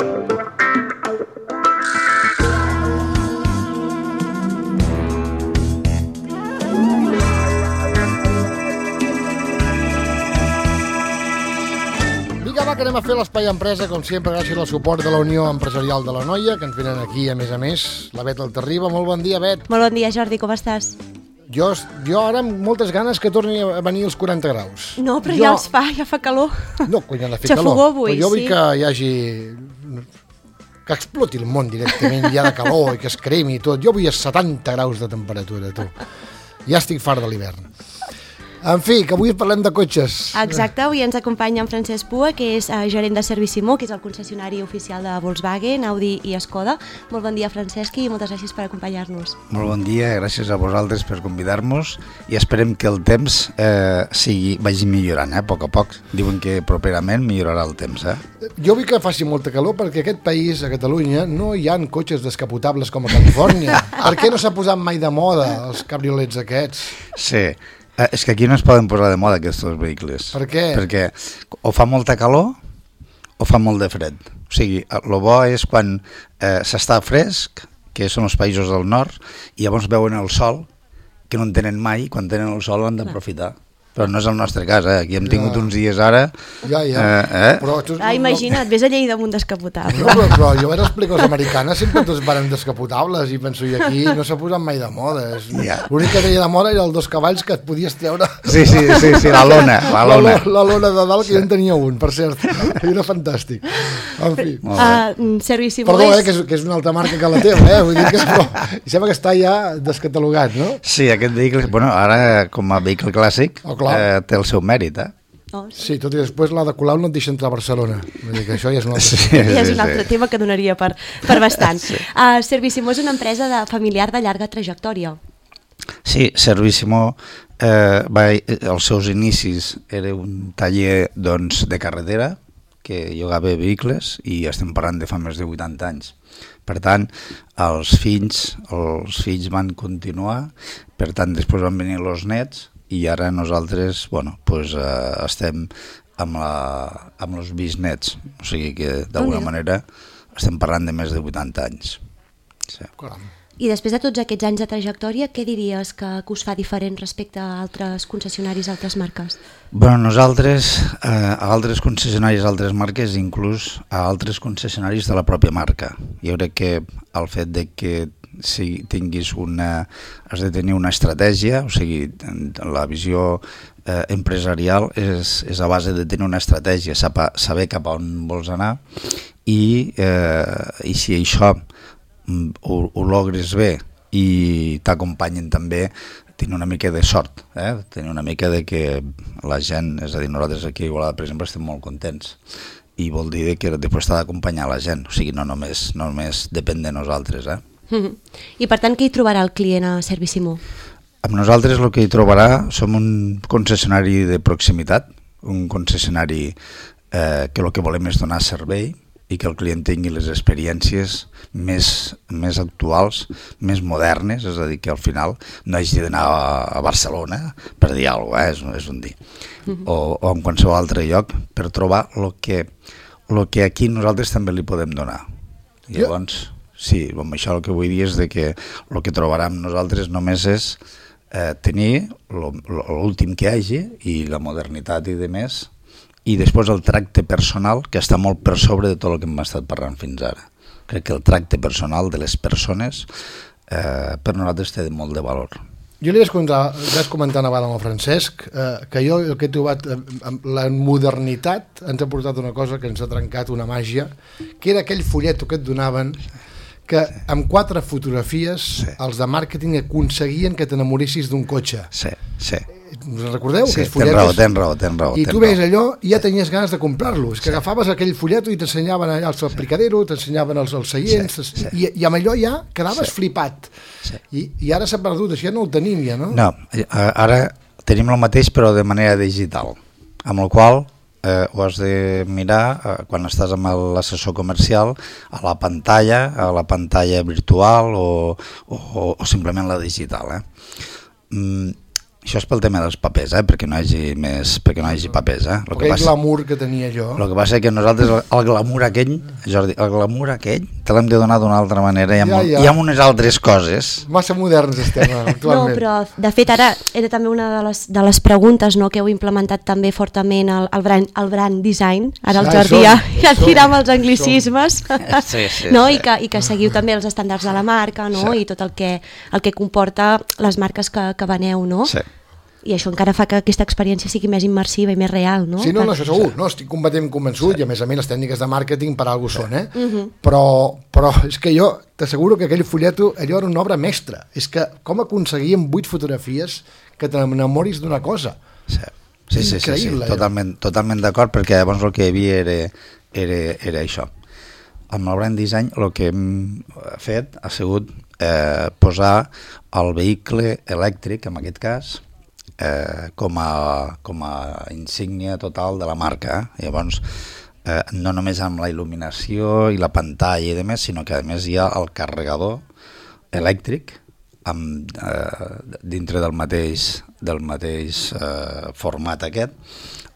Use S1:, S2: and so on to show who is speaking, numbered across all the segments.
S1: Que anem a fer l'Espai Empresa, com sempre, gràcies al suport de la Unió Empresarial de l'Anoia, que ens venen aquí, a més, la Bet Altarriba. Molt bon dia, Bet.
S2: Molt bon dia, Jordi, com estàs?
S1: Jo ara amb moltes ganes que torni a venir els 40 graus.
S2: No, però ja els fa, ja fa calor.
S1: No, quan ha de fer
S2: calor. Avui,
S1: però jo vull
S2: sí.
S1: que hi hagi... que exploti el món directament, ja de calor, i que es cremi i tot. Jo vull a 70 graus de temperatura, tu. Ja estic fart de l'hivern. En fi, que avui parlem de cotxes.
S2: Exacte, avui ens acompanya en Francesc Pua, que és gerent de Servisimó, que és el concessionari oficial de Volkswagen, Audi i Skoda. Molt bon dia, Francesc, i moltes gràcies per acompanyar-nos.
S3: Molt bon dia, gràcies a vosaltres per convidar-nos i esperem que el temps vagi millorant, a poc a poc. Diuen que properament millorarà el temps.
S1: Jo vull que faci molta calor perquè aquest país, a Catalunya, no hi ha cotxes descapotables com a Califòrnia. Per què no s'ha posat mai de moda els cabriolets aquests?
S3: Sí. És que aquí no es poden posar de moda aquests vehicles.
S1: Per què?
S3: Perquè o fa molta calor o fa molt de fred. O sigui, el bo és quan s'està fresc, que són els països del nord, i llavors veuen el sol, que no en tenen mai, i quan tenen el sol l'han d'aprofitar. Però no és el nostre cas, aquí hem tingut uns dies ara...
S1: Però tu,
S2: imagina't, vés a Lleida amb un descapotable.
S1: Però jo vaig explicar als americanes, sempre tots varen descapotables, i penso, i aquí no s'ha posat mai de moda. L'únic que tenia de moda era els 2 cavalls que et podies treure...
S3: Sí, la lona.
S1: La lona de dalt, que jo en tenia un, per cert. Era fantàstic. En fi.
S2: Servisimó
S1: que és una altra marca que la teva, vull dir que sembla que està ja descatalogat, no?
S3: Sí, aquest vehicle, ara com a vehicle clàssic, té el seu mèrit,
S1: Sí, tot i després la de Colau no et deixa entrar a Barcelona. Vull dir que això ja és un altre,
S2: ja és un altre tema que donaria per bastant. Servisimó és una empresa familiar de llarga trajectòria.
S3: Sí, Servisimó, els seus inicis era un taller de carretera que llogava vehicles i estem parlant de fa més de 80 anys. Per tant, els fills van continuar, per tant, després van venir els nets, i ara nosaltres estem amb els bisnets, o sigui que d'alguna manera estem parlant de més de 80 anys. Sí.
S2: I després de tots aquests anys de trajectòria, què diries que us fa diferent respecte a altres concessionaris, altres marques?
S3: Nosaltres, a altres concessionaris, altres marques, inclús a altres concessionaris de la pròpia marca. Jo crec que el fet de que si has de tenir una estratègia, o sigui, la visió empresarial és a base de tenir una estratègia, saber cap a on vols anar i si això ho logres bé i t'acompanyen també, tenir una mica de sort, tenir una mica de que la gent, és a dir, nosaltres aquí a Igualada, per exemple, estem molt contents i vol dir que després t'ha d'acompanyar la gent, o sigui, no només depèn de nosaltres,
S2: I per tant, què hi trobarà el client a Servisimó?
S3: Amb nosaltres el que hi trobarà som un concessionari de proximitat, un concessionari que el que volem és donar servei i que el client tingui les experiències més actuals, més modernes, és a dir, que al final no hagi d'anar a Barcelona per dir alguna cosa, és un dir, o en qualsevol altre lloc, per trobar el que aquí nosaltres també li podem donar. Llavors... Sí, amb això el que vull dir és que el que trobarà amb nosaltres només és tenir l'últim que hi hagi i la modernitat i demés, i després el tracte personal, que està molt per sobre de tot el que hem estat parlant fins ara. Crec que el tracte personal de les persones per nosaltres té molt de valor.
S1: Jo li vaig comentar abans amb el Francesc que jo el que he trobat, la modernitat ens ha portat una cosa que ens ha trencat una màgia, que era aquell folleto que et donaven que amb 4 fotografies els de màrqueting aconseguien que t'enamoressis d'un cotxe.
S3: Sí.
S1: Recordeu?
S3: Sí, tens raó.
S1: I tu veus allò i ja tenies ganes de comprar-lo. És que agafaves aquell folleto i t'ensenyaven allà el aplicadero, t'ensenyaven els seients, i amb allò ja quedaves flipat. I ara s'ha perdut, això ja no ho tenim ja, no?
S3: No, ara tenim el mateix però de manera digital, amb el qual ho has de mirar quan estàs amb l'assessor comercial a la pantalla virtual o simplement la digital. Això és pel tema dels papers, perquè no hi hagi papers.
S1: Aquell glamour que tenia jo.
S3: El que passa és que nosaltres el glamour aquell, Jordi, el glamour aquell te l'hem de donar d'una altra manera i amb unes altres coses.
S1: Massa moderns estem actualment.
S2: No, però de fet ara era també una de les preguntes, no, que heu implementat també fortament el brand design. Ara el Jordi ja tira amb els anglicismes, no? I que seguiu també els estàndards de la marca, no? I tot el que comporta les marques que veneu, no?
S3: Sí.
S2: I això encara fa que aquesta experiència sigui més immersiva i més real, no?
S1: Sí, no, això segur, no, estic completament convençut, i a més les tècniques de màrqueting per alguna cosa són, però és que jo t'asseguro que aquell folleto, allò era una obra mestra, és que com aconseguíem 8 fotografies que t'enamoris d'una cosa.
S3: Sí, totalment d'acord, perquè llavors el que hi havia era això. Amb el brand design el que hem fet ha sigut posar el vehicle elèctric, en aquest cas, com a insígnia total de la marca. Llavors, no només amb la il·luminació i la pantalla i demés, sinó que a més hi ha el carregador elèctric dintre del mateix format aquest,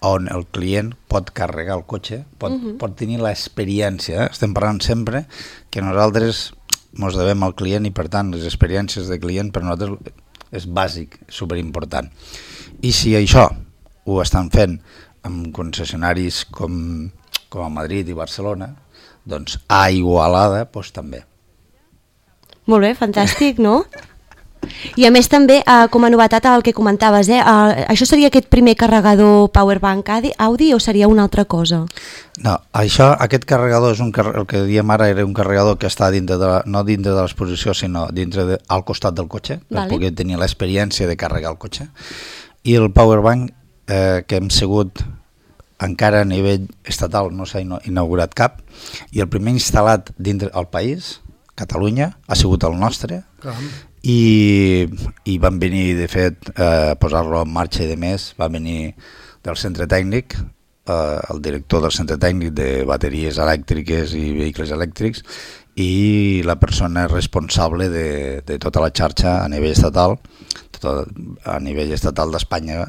S3: on el client pot carregar el cotxe, pot tenir l'experiència. Estem parlant sempre que nosaltres ens devem al client i per tant les experiències de client per nosaltres és bàsic, superimportant. I si això ho estan fent amb concessionaris com a Madrid i Barcelona, doncs a Igualada doncs també.
S2: Molt bé, fantàstic, no? I a més també, com a novetat el que comentaves, això seria aquest primer carregador Powerbank Audi o seria una altra cosa?
S3: No, aquest carregador és el que diem ara era un carregador que està no dintre de l'exposició sinó al costat del cotxe, per poder tenir l'experiència de carregar el cotxe. I el Powerbank que hem sigut encara a nivell estatal no s'ha inaugurat cap, i el primer instal·lat dintre el país, Catalunya, ha sigut el nostre. I van venir, de fet, a posar-lo en marxa i de més, va venir del centre tècnic, el director del centre tècnic de bateries elèctriques i vehicles elèctrics, i la persona responsable de tota la xarxa a nivell estatal, d'Espanya.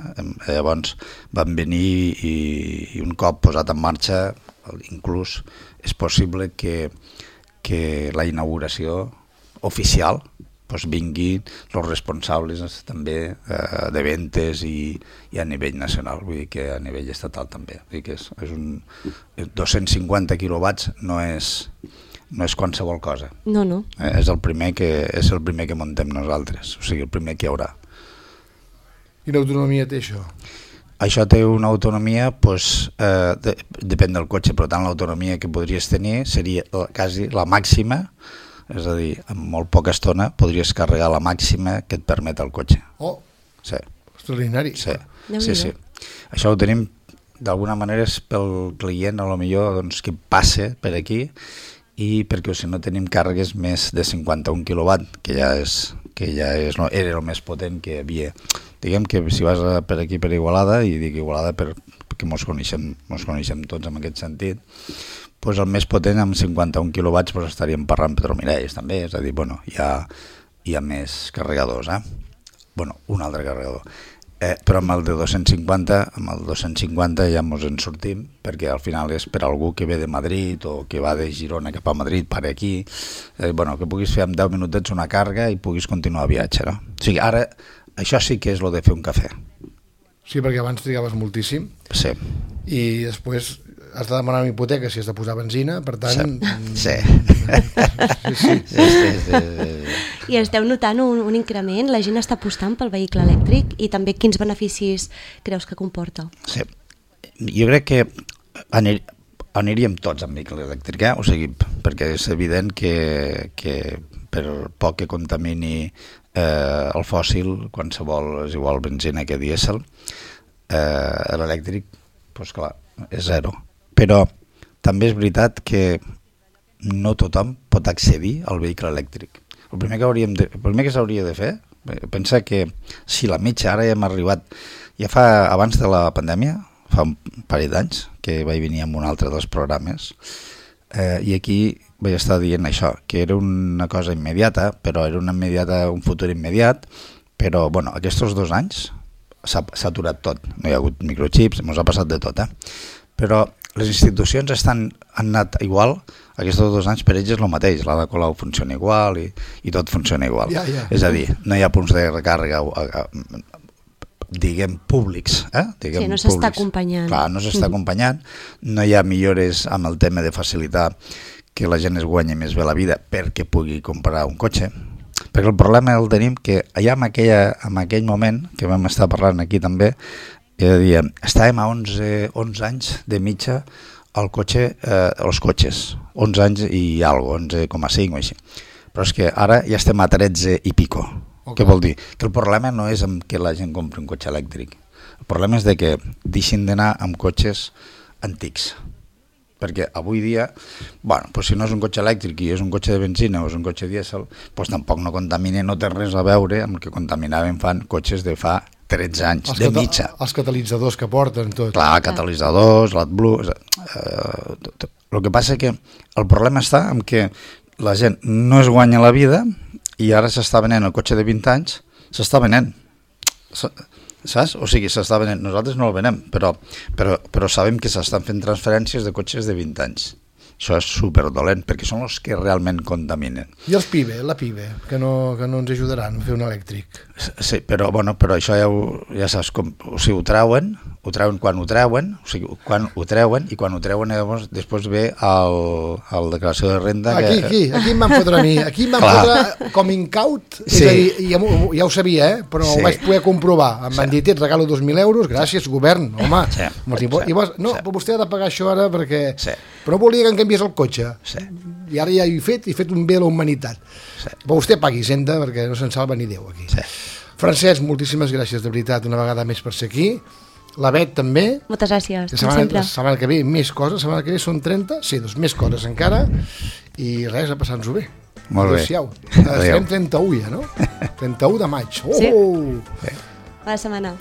S3: Llavors van venir i un cop posat en marxa, inclús és possible que la inauguració oficial vinguin els responsables també de ventes i a nivell nacional, vull dir que a nivell estatal també. Vull dir que és 250 quilowatts no és qualsevol cosa.
S2: No.
S3: És el primer que muntem nosaltres, o sigui, el primer que hi haurà.
S1: Quina autonomia té això?
S3: Això té una autonomia, depèn del cotxe, però tant l'autonomia que podries tenir seria quasi la màxima, és a dir, en molt poca estona podries carregar la màxima que et permet el cotxe.
S1: Oh,
S3: sí.
S1: Extraordinari.
S3: Sí. Això ho tenim, d'alguna manera és pel client, a lo millor que passe per aquí, i perquè si no tenim càrregues més de 51 kW, que ja era el més potent que hi havia. Diguem que si vas per aquí per Igualada, i dic Igualada perquè ens coneixem tots en aquest sentit, doncs el més potent amb 51 kW estaríem parlant Petromirells també, és a dir, hi ha més carregadors, un altre carregador. Però amb el de 250 ja ens en sortim, perquè al final és per algú que ve de Madrid o que va de Girona cap a Madrid, per aquí, que puguis fer en 10 minutets una càrrega i puguis continuar el viatge, no? O sigui, ara això sí que és el de fer un cafè.
S1: Sí, perquè abans trigaves moltíssim.
S3: Sí.
S1: I després has de demanar una hipoteca si has de posar benzina, per tant...
S3: Sí.
S2: I esteu notant un increment? La gent està apostant pel vehicle elèctric i també quins beneficis creus que comporta?
S3: Sí. Jo crec que aniríem tots amb vehicle elèctric, o sigui, perquè és evident que per poc que contamini el fòssil, qualsevol és igual benzina que dièsel, l'elèctric, doncs clar, és zero. Però també és veritat que no tothom pot accedir al vehicle elèctric. El primer que s'hauria de fer, pensa que si la mitja, ara ja hem arribat, abans de la pandèmia, fa un parell d'anys, que vaig venir amb un altre dels programes, i aquí vaig estar dient això, que era una cosa immediata, però era un futur immediat, però aquests 2 anys s'ha aturat tot, no hi ha hagut microchips, ens ha passat de tot, però les institucions han anat igual, aquests 2 anys per ells és el mateix, l'Ada Colau funciona igual i tot funciona igual. És a dir, no hi ha punts de recàrrega diguem públics,
S2: sí, no s'està acompanyant.
S3: Clar, no s'està acompanyant, no hi ha millores amb el tema de facilitar que la gent es guanyi més bé la vida perquè pugui comprar un cotxe, perquè el problema el tenim que allà en aquell moment que vam estar parlant aquí també, estàvem a 11 anys de mitja el cotxe, els cotxes, 11 anys i algo, 11,5 o així, però és que ara ja estem a 13 i pico. Què vol dir? Que el problema no és que la gent compri un cotxe elèctric, el problema és de que deixin d'anar amb cotxes antics, perquè avui dia, si no és un cotxe elèctric i és un cotxe de benzina o és un cotxe dièsel, tampoc no contamina, no té res a veure amb el que contaminaven cotxes de fa 13 anys, de mitja.
S1: Els catalitzadors que porten tot.
S3: Clar, catalitzadors, l'AdBlue... El que passa que el problema està en que la gent no es guanya la vida i ara s'està venent el cotxe de 20 anys, s'està venent. Saps? O sigui, s'està venent. Nosaltres no el venem, però sabem que s'estan fent transferències de cotxes de 20 anys. Això és superdolent, perquè són els que realment contaminen.
S1: I els PIBE, la PIBE, que no ens ajudaran a fer un elèctric.
S3: Sí, però això ja saps com... O sigui, ho treuen quan ho treuen, o sigui, quan ho treuen, i quan ho treuen després ve el declaració de renda...
S1: Aquí em van fotre a mi, aquí em van fotre com incaut, és a dir, ja ho sabia, però ho vaig poder comprovar. Em van dir, et regalo 2.000 euros, gràcies, govern, home. I no, però vostè ha de pagar això ara perquè... Però volia que em canviés el cotxe. I ara ja he fet un bé a la humanitat. Però vostè pagui Hisenda perquè no se'n salva ni Déu aquí. Francesc, moltíssimes gràcies, de veritat, una vegada més per ser aquí. La Bet també.
S2: Moltes gràcies,
S1: com sempre. La setmana que ve més coses, la setmana que ve són 30, sí, doncs més coses encara, i res, a passar-nos-ho bé.
S3: Molt bé.
S1: Estarem 31 ja, no? 31 de maig.
S2: Sí. Bona setmana.